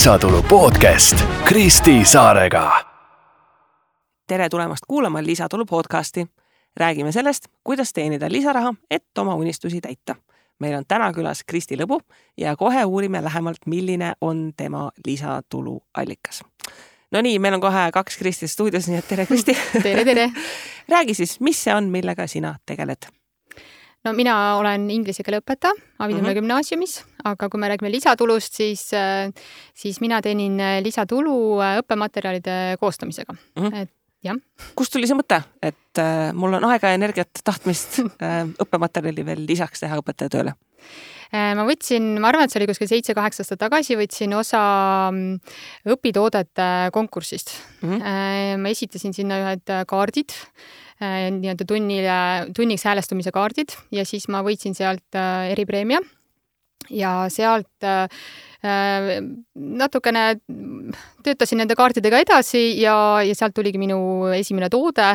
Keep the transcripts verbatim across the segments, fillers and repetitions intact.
lisatulu podcast Kristi Saarega. Tere tulemast kuulama Lisatulu podcasti. Räägime sellest, kuidas teenida lisaraha, et oma unistusi täita. Meil on täna külas Kristi Lõbu ja kohe uurime lähemalt, milline on tema lisatulu allikas. No nii, meil on kohe kaks Kristi stuudios, nii et tere Kristi. Tere, tere. Räägi siis, mis see on, millega sina tegeled? No mina olen inglise keele õpetaja Avinurme mm-hmm. gümnaasiumis, aga kui me räägime lisatulust, siis, siis mina teenin lisatulu õppematerjalide koostamisega. Mm-hmm. Et, jah. Kust tuli see mõte, et äh, mul on aega ja energiat tahtmist äh, õppematerjali veel lisaks teha õpetajatööle? Ma võtsin, ma arvan, et see oli kuskil seitse-kaheksa aastat tagasi, võtsin osa õpitoodete konkursist. Mm-hmm. Ma esitasin sinna ühed kaardid, nii-öelda tunnile, tunniks häälestumise kaardid ja siis ma võitsin sealt eripreemia ja sealt natukene töötasin nende kaartidega edasi ja, ja sealt tuligi minu esimene toode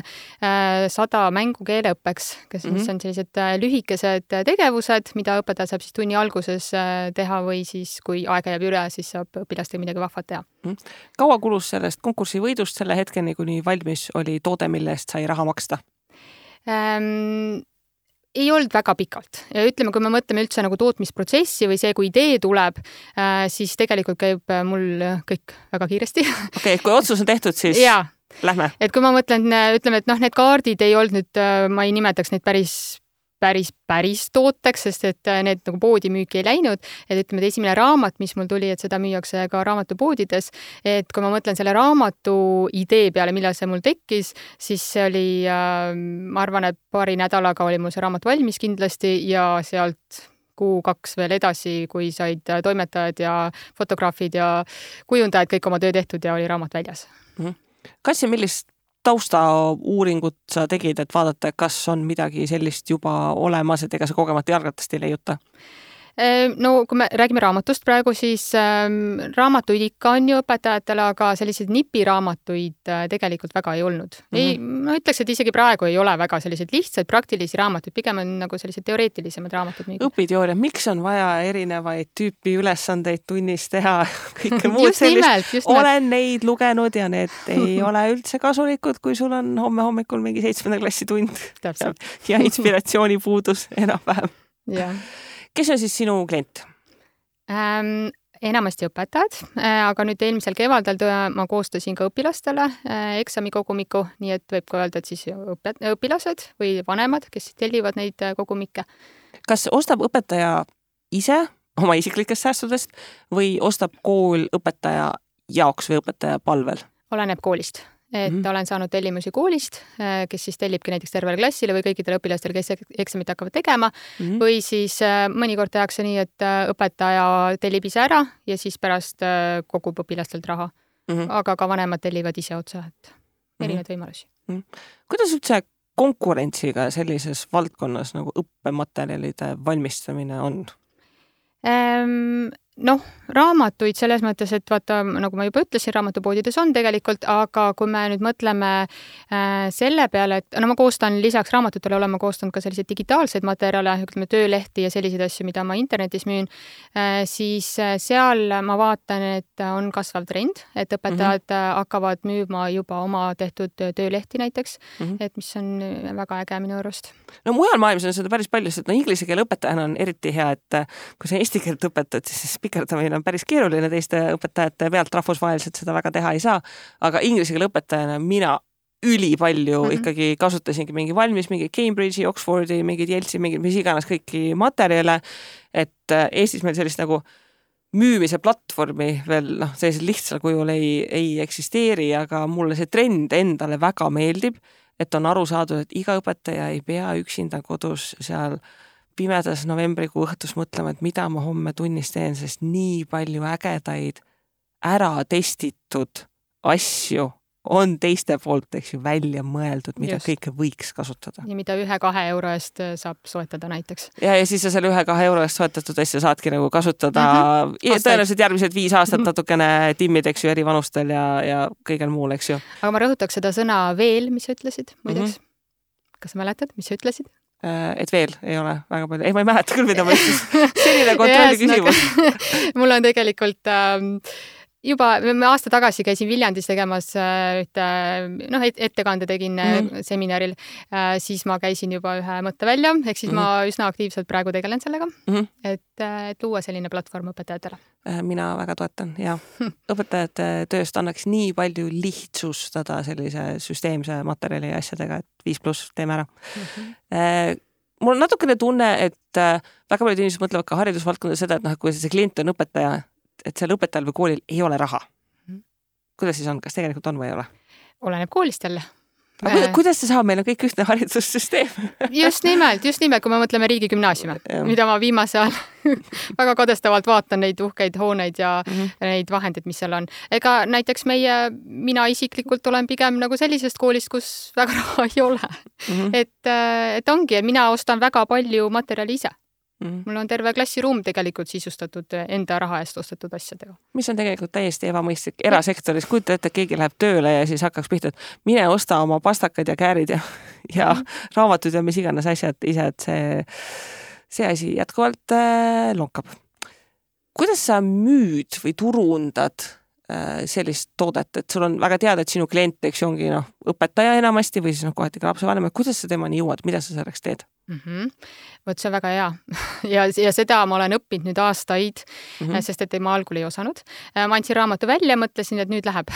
sada mängu keeleõppeks, kes mm-hmm. on sellised lühikesed tegevused, mida õpetaja saab siis tunni alguses teha või siis, kui aega jääb üle, siis saab õpilastega midagi vahvat teha. Mm-hmm. Kaua kulus sellest konkursi võidust selle hetkeni, kuni valmis oli toode, mille eest sai raha maksta? Ähm, ei olnud väga pikalt. Ja ütleme, kui me mõtleme üldse nagu tootmisprotsessi või see, kui idee tuleb, siis tegelikult käib mul kõik väga kiiresti. Okei, okay, kui otsus on tehtud, siis ja. Lähme. Et kui ma mõtlen, ütleme, et noh, need kaardid ei olnud nüüd, ma ei nimetaks neid päris päris, päris tooteks, sest et need nagu poodi müüki ei läinud. Et ütleme, et esimene raamat, mis mul tuli, et seda müüakse ka raamatupoodides, et kui ma mõtlen selle raamatu idee peale, millal see mul tekkis, siis see oli, ma arvan, et paari nädalaga oli mul see raamat valmis kindlasti ja sealt kuu kaks veel edasi, kui said toimetajad ja fotograafid ja kujundajad kõik oma töö tehtud ja oli raamat väljas. Kas ja millist taustauuringut sa tegid, et vaadata, kas on midagi sellist juba olemas, et ega sa kogemata jalgratast ei leiuta? No kui me räägime raamatust praegu, siis ähm, raamatuid ikka on ju õpetajatele, aga selliseid nipiraamatuid äh, tegelikult väga ei olnud. Mm-hmm. Ei, ma ütleks, et isegi praegu ei ole väga selliseid lihtsaid praktilisi raamatuid, pigem on nagu sellised teoreetilisemad raamatud. Õpiteooria, miks on vaja erinevaid tüüpi ülesandeid tunnis teha? Kõike muud sellist. Olen neid lugenud ja need ei ole üldse kasulikud, kui sul on homme hommikul mingi seitsmenda klassi tund. Täpselt. Ja inspiratsiooni puudus enam-vähem. Jah. Kes on siis sinu klient? Ähm, enamasti õpetajad, aga nüüd eelmisel kevadel ma koostasin ka õpilastele eksamikogumiku, nii et võib ka öelda, et siis õpet- õpilased või vanemad, kes tellivad neid kogumikke. Kas ostab õpetaja ise oma isiklikest säästudest või ostab kool õpetaja jaoks või õpetaja palvel? Oleneb koolist. Et mm-hmm. olen saanud tellimusi koolist, kes siis tellibki näiteks tervele klassile või kõikidele õpilastele, kes eksamit hakkavad tegema mm-hmm. või siis mõnikord tehakse nii, et õpetaja tellib ise ära ja siis pärast kogub õpilastelt raha. Mm-hmm. Aga ka vanemad tellivad ise otsa, et erinevad mm-hmm. võimalusi. Mm-hmm. Kuidas üldse konkurentsiga sellises valdkonnas nagu õppematerjalide valmistamine on? Ähm, noh, raamatuid selles mõttes, et vaata, nagu ma juba ütlesin, raamatupoodides on tegelikult, aga kui me nüüd mõtleme äh, selle peale, et no ma koostan lisaks raamatutele olen ma koostanud ka selliseid digitaalseid materjale, ütleme töölehti ja selliseid asju, mida ma internetis müün, äh, siis seal ma vaatan, et on kasvav trend, et õpetajad mm-hmm. hakkavad müüma juba oma tehtud töölehti näiteks, mm-hmm. et mis on väga äge minu arust. No mujal maailmas on seda päris palju, sest no inglise keele õpetajana on eriti hea, et kui sa eesti keelt õpetad, siis pikerdamine on päris keeruline, teiste õpetajate pealt rahvusvaheliselt seda väga teha ei saa, aga inglise keele õpetajana mina ülipalju mm-hmm. ikkagi kasutasingi mingi valmis, mingi Cambridge'i, Oxfordi, mingi Yale'i, mingi mis iganes kõiki materjale, et Eestis meil sellist nagu müümise platvormi veel noh, sellisel lihtsal kujul ei, ei eksisteeri, aga mulle see trend endale väga meeldib, et on aru saadud, et iga õpetaja ei pea üksinda kodus seal pimedas novembrikuu õhtus mõtlema, et mida ma homme tunnis teen, sest nii palju ägedaid ära testitud asju on teiste poolt, eks ju, välja mõeldud, mida Just. Kõike võiks kasutada. Ja mida ühe-kahe euro eest saab soetada näiteks. Ja, ja siis sa selle ühe-kahe euro eest soetatud asja saadki nagu kasutada mm-hmm. tõenäoliselt järgmised viis aastat natukene timmid, eks ju, eri vanustel ja, ja kõigel muul, eks ju. Aga ma rõhutaks seda sõna veel, mis sa ütlesid, muideks. Mm-hmm. Kas sa mäletad, mis sa ütlesid? Et veel ei ole väga palju. Ei, ma ei mäleta küll, mida ma ütlesin. Selline kontrolli küsimus. Mul on tegelikult... Ähm, juba ma aasta tagasi käisin Viljandis tegemas ühte, noh, ettekande tegin mm-hmm. seminaril, siis ma käisin juba ühe mõtte välja, ehk siis mm-hmm. ma üsna aktiivselt praegu tegelen sellega, mm-hmm. et, et luua selline platvorm õpetajatele. Mina väga toetan ja õpetajate tööst annaks nii palju lihtsustada sellise süsteemse materjali ja asjadega, et viis pluss teeme ära. Mm-hmm. Mul on natukene tunne, et väga paljud inimesed mõtlevad ka haridusvaldkonda seda, et noh, kui see klient on õpetaja, et seal õpetajal või koolil ei ole raha. Kuidas siis on? Kas tegelikult on või ei ole? Oleneb koolist jälle. Aga kuidas see saab? Meil on kõik ühtne haridussüsteem. Just nimelt, just nimelt, kui me mõtleme riigigümnaasiume, mida ma viimase ajal väga kadestavalt vaatan neid uhkeid hooneid ja mm-hmm. neid vahendeid, mis seal on. Ega näiteks meie, mina isiklikult olen pigem nagu sellisest koolist, kus väga raha ei ole. Mm-hmm. Et, et ongi, et mina ostan väga palju materjali ise. Mm-hmm. Mul on terve klassiruum tegelikult sisustatud enda raha eest ostetud asjadega. Mis on tegelikult täiesti ebamõistlik erasektoris. Kujuta ette, et keegi läheb tööle ja siis hakkaks pihta, et mine osta oma pastakad ja käärid ja, ja mm-hmm. raamatud ja mis iganes asjad ise, et see, see asi jätkuvalt äh, lonkab. Kuidas sa müüd või turundad äh, sellist toodet, et sul on väga teada, et sinu klient, eks ju, ongi noh, õpetaja enamasti või siis noh, kohati ka lapsevanem, kuidas sa temani jõuad, mida sa selleks teed? Mm-hmm. Võt, see on väga hea. ja, ja seda ma olen õppinud nüüd aastaid, mm-hmm. sest et ma algul ei osanud. Ma andsin raamatu välja, mõtlesin, et nüüd läheb.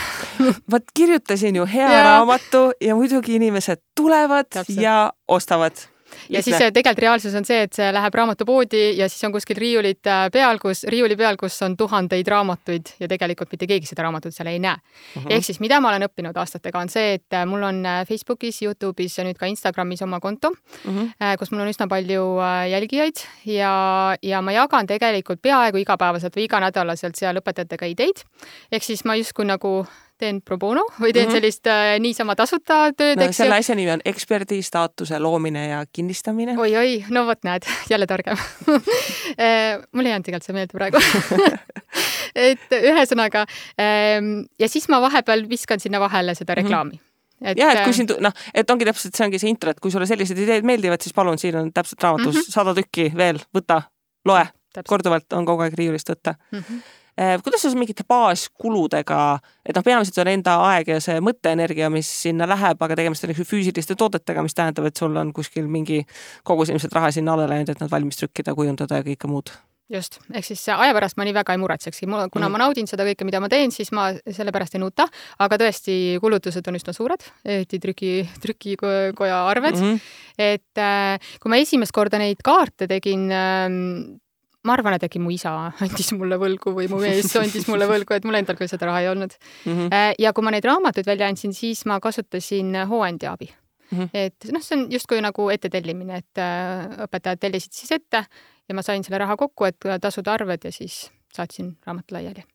Võt, kirjutasin ju hea ja. raamatu ja muidugi inimesed tulevad Täpselt. Ja ostavad. Ja siis tegelikult reaalsus on see, et see läheb raamatupoodi ja siis on kuskil riiulit peal, kus, riiuli peal, kus on tuhandeid raamatuid ja tegelikult mitte keegi seda raamatut seal ei näe. Uh-huh. Ehk siis, mida ma olen õppinud aastatega, on see, et mul on Facebookis, YouTube'is ja nüüd ka Instagramis oma konto, uh-huh. kus mul on üsna palju jälgijaid ja, ja ma jagan tegelikult peaaegu igapäevaselt või iganädalaselt seal õpetajatega ideid. Ehk siis ma justkui nagu teen pro bono või teen mm-hmm. sellist äh, niisama tasuta tööd. No, selle asja nimi on eksperdi staatuse loomine ja kinnistamine. Oi, oi, no vot näed, jälle targem. Mul ei jäänud tegelikult see meelde praegu. et ühesõnaga, ähm, ja siis ma vahepeal viskan sinna vahele seda reklaami. Mm-hmm. Et, ja, et kui siin, noh, et ongi täpselt, see ongi see intro, et kui sulle sellised ideed meeldivad, siis palun, siin on täpselt raamatus mm-hmm. sada tükki veel, võta, loe, täpselt. Korduvalt on kogu aeg riiulist võtta. Mm-hmm. Kuidas sa mingite baaskuludega, et noh, peamiselt on enda aeg ja see mõtteenergia, mis sinna läheb, aga tegemist on füüsiliste toodetega, mis tähendab, et sul on kuskil mingi kogus ilmselt raha sinna alle läinud, et nad valmis trükkida, kujundada ja kõike muud. Just, ehk siis aja pärast ma nii väga ei muretsekski. Kuna mm. ma naudin seda kõike, mida ma teen, siis ma selle pärast ei nuta, aga tõesti kulutused on üsna suured, eriti trüki, trükikoja arved. Mm-hmm. Et kui ma esimest korda neid kaarte tegin, ma arvan, et äkki mu isa andis mulle võlgu või mu mees andis mulle võlgu, et mul endal küll seda raha ei olnud. Mm-hmm. Ja kui ma neid raamatuid välja andsin, siis ma kasutasin hooandja abi. Mm-hmm. Et noh, see on justkui nagu ette tellimine, et õpetajad tellisid siis ette ja ma sain selle raha kokku, et tasuda arved ja siis saatsin raamatu laiali.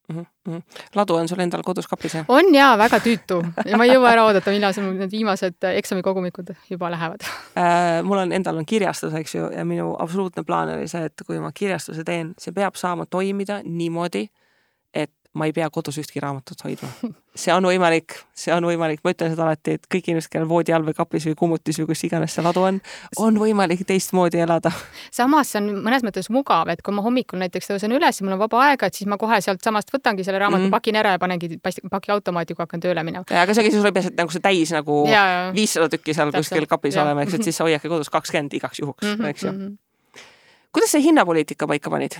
Mm-hmm. Ladu on sul endal kodus kapis, jah? On jaa, väga tüütu. Ja ma ei jõua ära oodata, millal sul need viimased eksamikogumikud juba lähevad. Äh, mul on endal on kirjastus, eks ju, ja minu absoluutne plaan oli see, et kui ma kirjastuse teen, see peab saama toimida niimoodi, et ma ei pea kodus ühtki raamatut hoidma. See on võimalik, see on võimalik. Ma ütlen seda alati, et kõik inimesed, kellel voodi all või kapis või kummutis või kus iganes see ladu on, on võimalik teistmoodi elada. Samas see on mõnes mõttes mugav, et kui ma hommikul näiteks tõusen üles ja mul on vaba aega, et siis ma kohe sealt samast võtangi selle raamatu, mm-hmm. pakin ära ja panengi paki automaati, kui hakkan tööle minema. Ja, aga see sul ei pea nagu see täis nagu ja, ja. viissada tükki seal Täpselt. Kuskil kapis ja. Olema, eks, et siis sa hoiake kodus kakskümmend igaks juhuks, mm-hmm. eks ju. Mm-hmm. Kuidas see hinnapoliitika paika panid?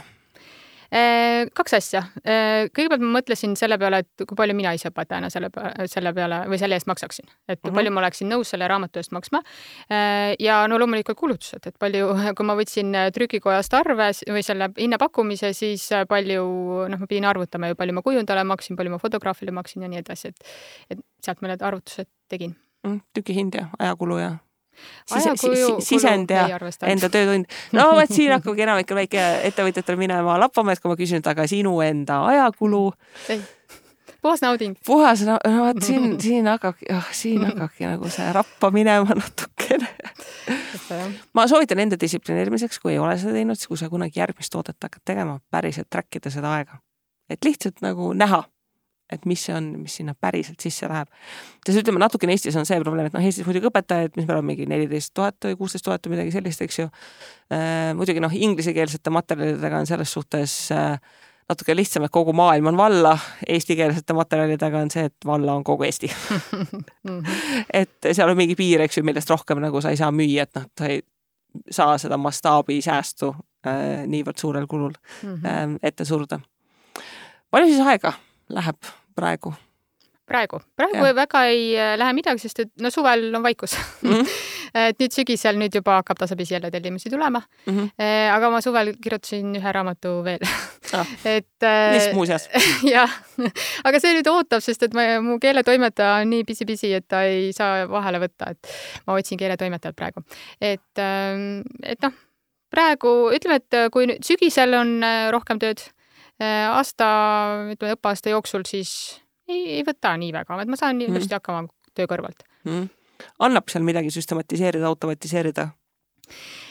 Kaks asja. Kõigepealt ma mõtlesin selle peale, et kui palju mina ise õpetajana selle, selle peale või selle eest maksaksin. Et uh-huh. palju ma oleksin nõus selle raamatu eest maksma. Ja no loomulikult kulutused, et palju, kui ma võtsin trükikojast arve või selle hinnapakkumise, siis palju, noh, ma pidin arvutama ju, palju ma kujundale maksin, palju ma fotograafile maksin ja nii edasi, et, et sealt ma need arvutused tegin. Tüki hind ja ajakulu ja Sise, kuju, sisend ja enda töötund. No vaat siin hakkabki enamikul väike ettevõtjatel minema lappama, et kui ma küsin, et aga sinu enda ajakulu. Ei. Puhas nauding. Puhas, no vaat siin, siin hakkabki, oh, siin hakkabki nagu see rappa minema natukene. Ma soovitan enda distsiplineerimiseks, kui ei ole seda teinud, siis kui sa kunagi järgmist toodet hakkad tegema, päriselt trackida seda aega. Et lihtsalt nagu näha, et mis see on, mis sinna päriselt sisse läheb. Siis ütleme, natukene Eestis on see probleem, et noh, Eestis muidugi õpetajaid, mis meil on mingi neliteist tuhat või kuusteist tuhat või midagi sellist, eks ju. Äh, muidugi noh, inglisekeelsete materjalidega on selles suhtes äh, natuke lihtsam, et kogu maailm on valla, eestikeelsete materjalidega on see, et valla on kogu Eesti. et seal on mingi piir, eks ju, millest rohkem nagu sa ei saa müüa, et noh, sa ei saa seda mastaabi säästu äh, niivõrd suurel kulul mm-hmm. äh, ette surda. Palju siis aega läheb praegu? Praegu. Praegu ja. Väga ei lähe midagi, sest et no suvel on vaikus. Mm-hmm. et nüüd sügisel nüüd juba hakkab tasapisi jälle tellimusi tulema. Mm-hmm. Aga ma suvel kirjutasin ühe raamatu veel. Ah. et mis muuseas? jah, aga see nüüd ootab, sest et ma, mu keeletoimetaja on nii pisi-pisi, et ta ei saa vahele võtta, et ma otsin keeletoimetajat praegu. Et, et noh, praegu ütleme, et kui nüüd sügisel on rohkem tööd, aasta, ütleme, õppeaasta jooksul, siis Ei, ei võta nii väga, et ma saan mm. just hakkama töö kõrvalt. Mm. Annab seal midagi süstematiseerida, automatiseerida?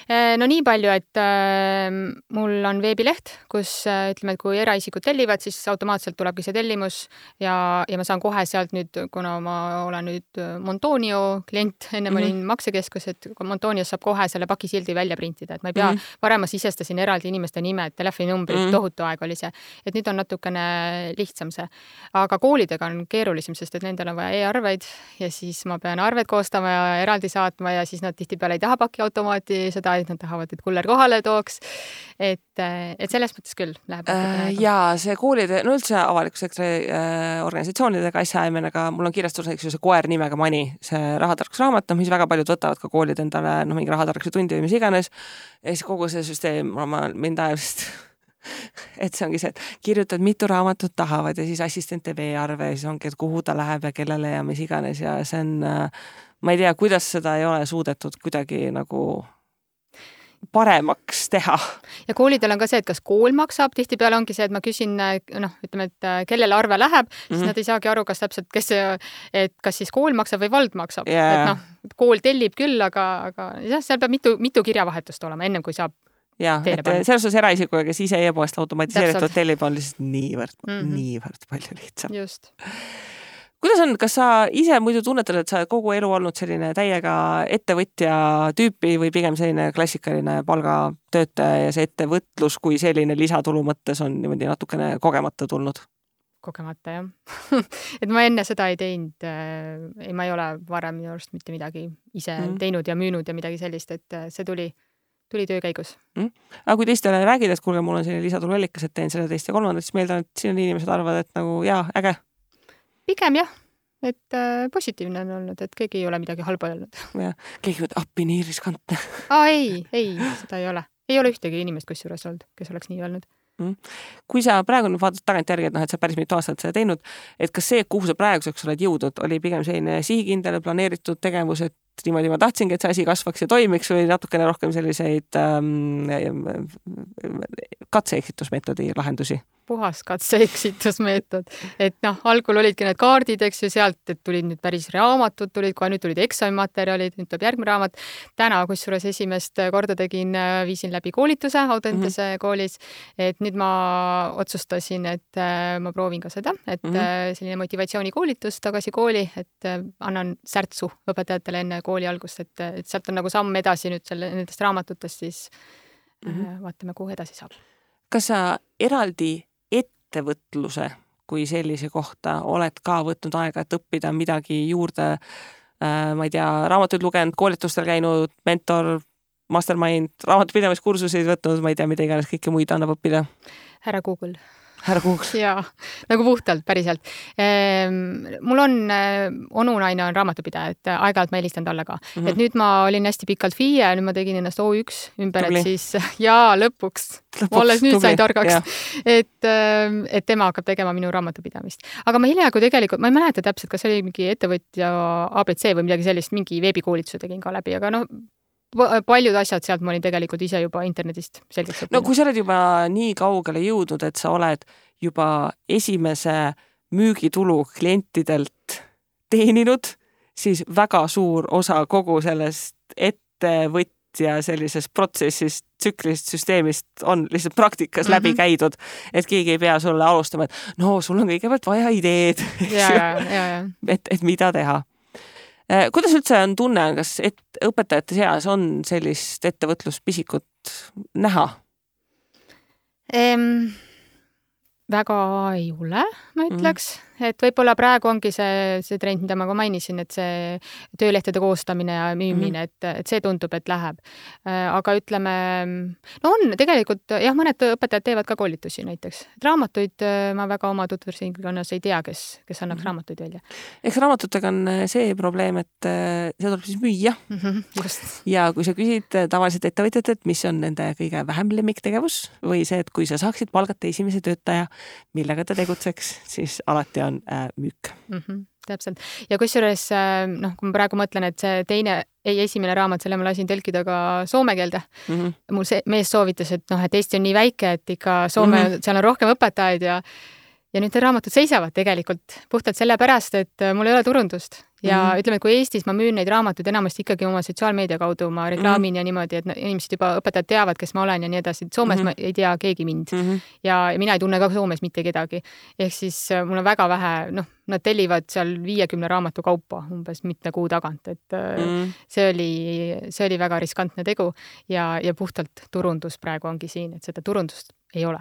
No nii palju, et äh, mul on veebileht, kus äh, ütleme, et kui eraisikud tellivad, siis automaatselt tulebki see tellimus ja, ja ma saan kohe sealt nüüd, kuna ma olen nüüd Montonio klient, enne ma olin mm-hmm. maksekeskus, et Montonios saab kohe selle pakisildi välja printida, et ma ei pea, mm-hmm. varem ma sisestasin eraldi inimeste nimed, telefoninumbrid, mm-hmm. tohutu aeg oli see, et nüüd on natukene lihtsam see. Aga koolidega on keerulisem, sest et nendel on vaja e-arveid ja siis ma pean arved koostama ja eraldi saatma ja siis nad tihtipeale ei taha pakiautomaati seda, et nad tahavad, et kuller kohale tooks. Et, et selles mõttes küll läheb. Äh, jaa, see koolide, no üldse avaliku sektori äh, organisatsioonidega asjaajamenega, mul on kirjastus näiteks see koer nimega Mani, see rahatarkusraamat, no mis väga paljud võtavad ka koolid endale, no mingi rahatarkuse tundi või mis iganes. Ja siis kogu see süsteem, ma mind ajast, et see ongi see, et kirjutad mitu raamatut tahavad ja siis assistente veearve ja siis ongi, et kuhu ta läheb ja kellele ja mis iganes ja see on, ma ei tea, kuidas seda ei ole suudetud kuidagi nagu paremaks teha. Ja koolidel on ka see, et kas kool maksab, tihtipeale ongi see, et ma küsin, noh, ütleme, et kellele arve läheb, siis mm-hmm. nad ei saagi aru, kas täpselt, kes see, et kas siis kool maksab või vald maksab. Yeah. Et noh, kool tellib küll, aga, aga jah, seal peab mitu, mitu kirjavahetust olema, ennem kui saab ja, et selles osas eraisikuga, kes ise e-poest automatiseeritud tellib, on lihtsalt niivõrd, mm-hmm. niivõrd palju lihtsam. Just. Kuidas on, kas sa ise muidu tunnetad, et sa oled kogu elu olnud selline täiega ettevõtja tüüpi või pigem selline klassikaline palgatöötaja ja see ettevõtlus kui selline lisatulu mõttes on niimoodi natukene kogemata tulnud? Kogemata, jah. et ma enne seda ei teinud, ei, ma ei ole varem minu arust mitte midagi ise mm. teinud ja müünud ja midagi sellist, et see tuli, tuli töö käigus. Mm. Aga kui teistele räägid, et kuulge, mul on selline lisatuluallikas, et teen selle teist ja kolmandat, siis meeldan, et siin on inimesed arvavad, et nagu jaa, äge. Pigem jah, et äh, positiivne on olnud, et keegi ei ole midagi halba öelnud. Ja, keegi võtta appi nii riskantne. Aa, ei, ei, seda ei ole. Ei ole ühtegi inimest kusjuures olnud, kes oleks nii öelnud. Mm. Kui sa praegu vaatad tagant järgi, et, noh, et sa päris mitu aastat seda teinud, et kas see, kuhu sa praeguseks oled jõudnud, oli pigem selline sihikindel planeeritud tegevus, et niimoodi ma tahtsingi, et see asi kasvaks ja toimiks või natukene rohkem selliseid ähm, katse-eksitusmeetodi lahendusi? Puhas katse-eksitusmeetod. Et noh, algul olidki need kaardid, eks ju, sealt, et tulid nüüd päris raamatud, tulid kohe, nüüd tulid eksamimaterjalid, nüüd tuleb järgmine raamat. Täna, kusjuures esimest korda tegin, viisin läbi koolituse Audentese mm-hmm. koolis, et nüüd ma otsustasin, et ma proovin ka seda, et mm-hmm. selline motivatsioonikoolitus tagasi kooli, et annan särtsu õpetajatele enne kooli algust, et, et sealt on nagu samm edasi nüüd selle, nendest raamatutest, siis mm-hmm. vaatame, kuhu edasi saab. Kas sa eraldi ettevõtluse kui sellise kohta oled ka võtnud aega, et õppida midagi juurde, äh, ma ei tea, raamatuid lugenud, koolitustel käinud, mentor, mastermind, raamatupidamiskursuseid võtnud, ma ei tea, mida iganes kõike muid annab õppida? Härra Google. Härra Google. Jaa, nagu puhtalt, päriselt. Ehm, mul on, onunaine on raamatupidaja, et aeg-ajalt ma helistan talle ka. Mm-hmm. Et nüüd ma olin hästi pikalt F I E ja nüüd ma tegin ennast O üks ümber, tubli. Et siis jaa, lõpuks. lõpuks ma alles nüüd tubli. Sain targaks. Et, et tema hakkab tegema minu raamatupidamist. Aga ma hiljaaegu tegelikult, ma ei mäleta täpselt, kas oli mingi ettevõtja A B C või midagi sellist, mingi veebikoolituse tegin ka läbi, aga noh, paljud asjad sealt ma olin tegelikult ise juba internetist selgeks õppinud. No kui sa oled juba nii kaugele jõudnud, et sa oled juba esimese müügitulu klientidelt teeninud, siis väga suur osa kogu sellest ettevõtja sellisest protsessist, tsüklist, süsteemist on lihtsalt praktikas mm-hmm. läbi käidud, et keegi ei pea sulle alustama, et no sul on kõigepealt vaja ideed, ja, ja, ja, ja. Et, et mida teha. Kuidas üldse on tunne, kas et, õpetajate seas on sellist ettevõtluspisikut näha? Ehm, väga ei ole, ma ütleks, mm. et võib-olla praegu ongi see, see trend, mida ma ka mainisin, et see töölehtede koostamine ja müümine, mm. et, et see tundub, et läheb. Aga ütleme, no on tegelikult, jah, mõned õpetajad teevad ka koolitusi näiteks. Raamatuid ma väga oma tutvusringkonnas ei tea, kes, kes annaks mm. raamatuid välja. Eks raamatutega on see probleem, et see tuleb siis müüa. Mm-hmm, just. Ja kui sa küsid tavaliselt ettevõtjad, et mis on nende kõige vähem lemmiktegevus või see, et kui sa saaksid palgata esimese töötaja, millega ta tegutseks, siis alati on äh, müük. Mm-hmm, täpselt. Ja kusjuures, noh, kui ma praegu mõtlen, et see teine, ei esimene raamat, selle ma lasin tõlkida ka soome keelde. Mm-hmm. Mul see mees soovitas, et noh, et Eesti on nii väike, et ikka Soome, mm-hmm. seal on rohkem õpetajaid ja ja nüüd need raamatud seisavad tegelikult puhtalt sellepärast, et mul ei ole turundust. Ja mm-hmm. ütleme, et kui Eestis ma müün neid raamatuid enamasti ikkagi oma sotsiaalmeedia kaudu, ma reklaamin mm-hmm. ja niimoodi, et inimesed juba õpetajad teavad, kes ma olen ja nii edasi. Soomes mm-hmm. ma ei tea keegi mind mm-hmm. ja mina ei tunne ka Soomes mitte kedagi. Ehk siis mul on väga vähe, noh, nad tellivad seal viiekümne raamatu kaupa umbes mitme kuu tagant, et mm-hmm. see oli, see oli väga riskantne tegu ja, ja puhtalt turundus praegu ongi siin, et seda turundust ei ole.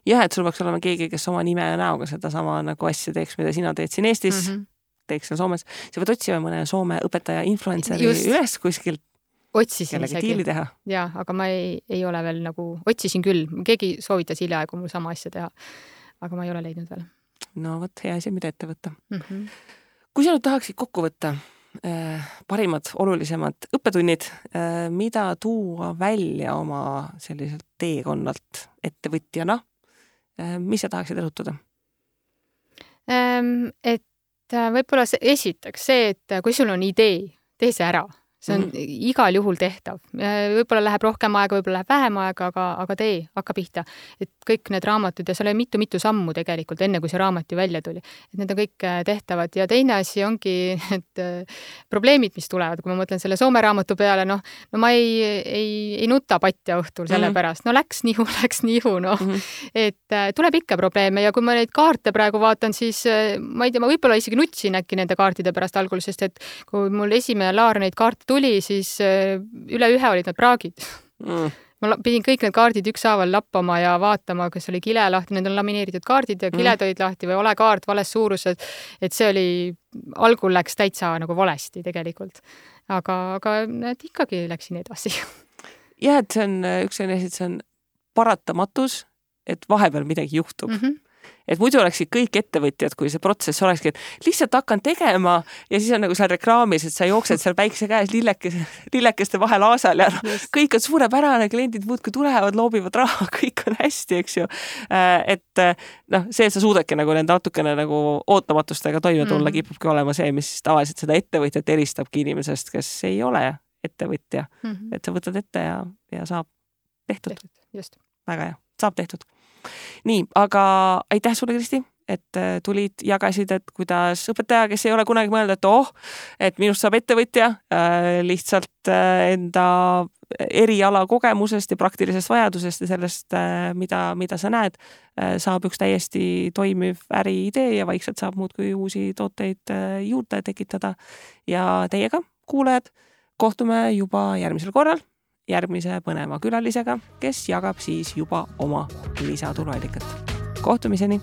Jah, et sul peaks olema keegi, kes oma nime ja näoga seda sama nagu asja teeks, mida sina teed siin Eestis, mm-hmm. teeks seal Soomes. Sa võid otsima mõne Soome õpetaja influenceri Just. Üles kuskilt. Otsisin isegi. Teha. Ja, aga ma ei, ei ole veel nagu, otsisin küll. Keegi soovitas hiljaaegu mul sama asja teha, aga ma ei ole leidnud veel. No võt, hea asi, mida ette võtta. Mm-hmm. Kui sa nüüd tahaksid kokku võtta äh, parimad, olulisemad õppetunnid, äh, mida tuua välja oma selliselt teekonnalt ettevõtjana, mis sa tahaksid rõhutada? Et võib-olla see, esiteks see, et kui sul on idee, tee see ära. See on mm-hmm. igal juhul tehtav. Võib-olla läheb rohkem aega, võib-olla läheb vähem aega, aga, aga tee, hakka pihta. Et kõik need raamatud ja seal oli mitu-mitu sammu tegelikult, enne kui see raamat ju välja tuli. Et need on kõik tehtavad. Ja teine asi ongi et probleemid, mis tulevad. Kui ma mõtlen selle Soome raamatu peale, noh, no ma ei, ei, ei nuta patja õhtul selle mm-hmm. pärast. No läks nihu, läks nihu, noh. Mm-hmm. Et tuleb ikka probleeme ja kui ma neid kaarte praegu vaatan, siis ma ei tea, ma võib-olla isegi nutsin äkki nende kaartide pärast algul, sest et kui mul esimene laar neid kaarte tuli, siis üle ühe olid need praagid. Mm. Ma pidin kõik need kaardid ükshaaval lappama ja vaatama, kas oli kile lahti, need on lamineeritud kaardid ja kiled mm. olid lahti või ole kaart vales suurused, et see oli, algul läks täitsa nagu valesti tegelikult. Aga, aga need ikkagi läksin edasi. Jah, et see on üks selline, et see on paratamatus, et vahepeal midagi juhtub. Mm-hmm. Et muidu oleksid kõik ettevõtjad, kui see protsess olekski, et lihtsalt hakkan tegema ja siis on nagu seal reklaamis, et sa jooksed seal päikse käes lillekeste, lillekeste vahel aasal ja no, kõik on suurepärane, kliendid muudkui tulevad, loobivad raha, kõik on hästi, eks ju. Et noh, see, et sa suudadki nagu nende natukene nagu ootamatustega toime tulla, mm-hmm. kipubki olema see, mis tavaliselt seda ettevõtjat eristabki inimesest, kes ei ole ettevõtja. Mm-hmm. Et sa võtad ette ja, ja saab tehtud. tehtud. Just. Väga hea, saab tehtud. Nii, aga aitäh sulle, Kristi, et tulid, jagasid, et kuidas õpetaja, kes ei ole kunagi mõelnud, et oh, et minust saab ettevõtja äh, lihtsalt äh, enda eriala kogemusest ja praktilisest vajadusest ja sellest, äh, mida, mida sa näed, äh, saab üks täiesti toimiv äriidee ja vaikselt saab muudkui uusi tooteid äh, juurde tekitada. Ja teiega, kuulajad, kohtume juba järgmisel korral. Järgmise põneva külalisega, kes jagab siis juba oma lisatuluallikat. Kohtumiseni!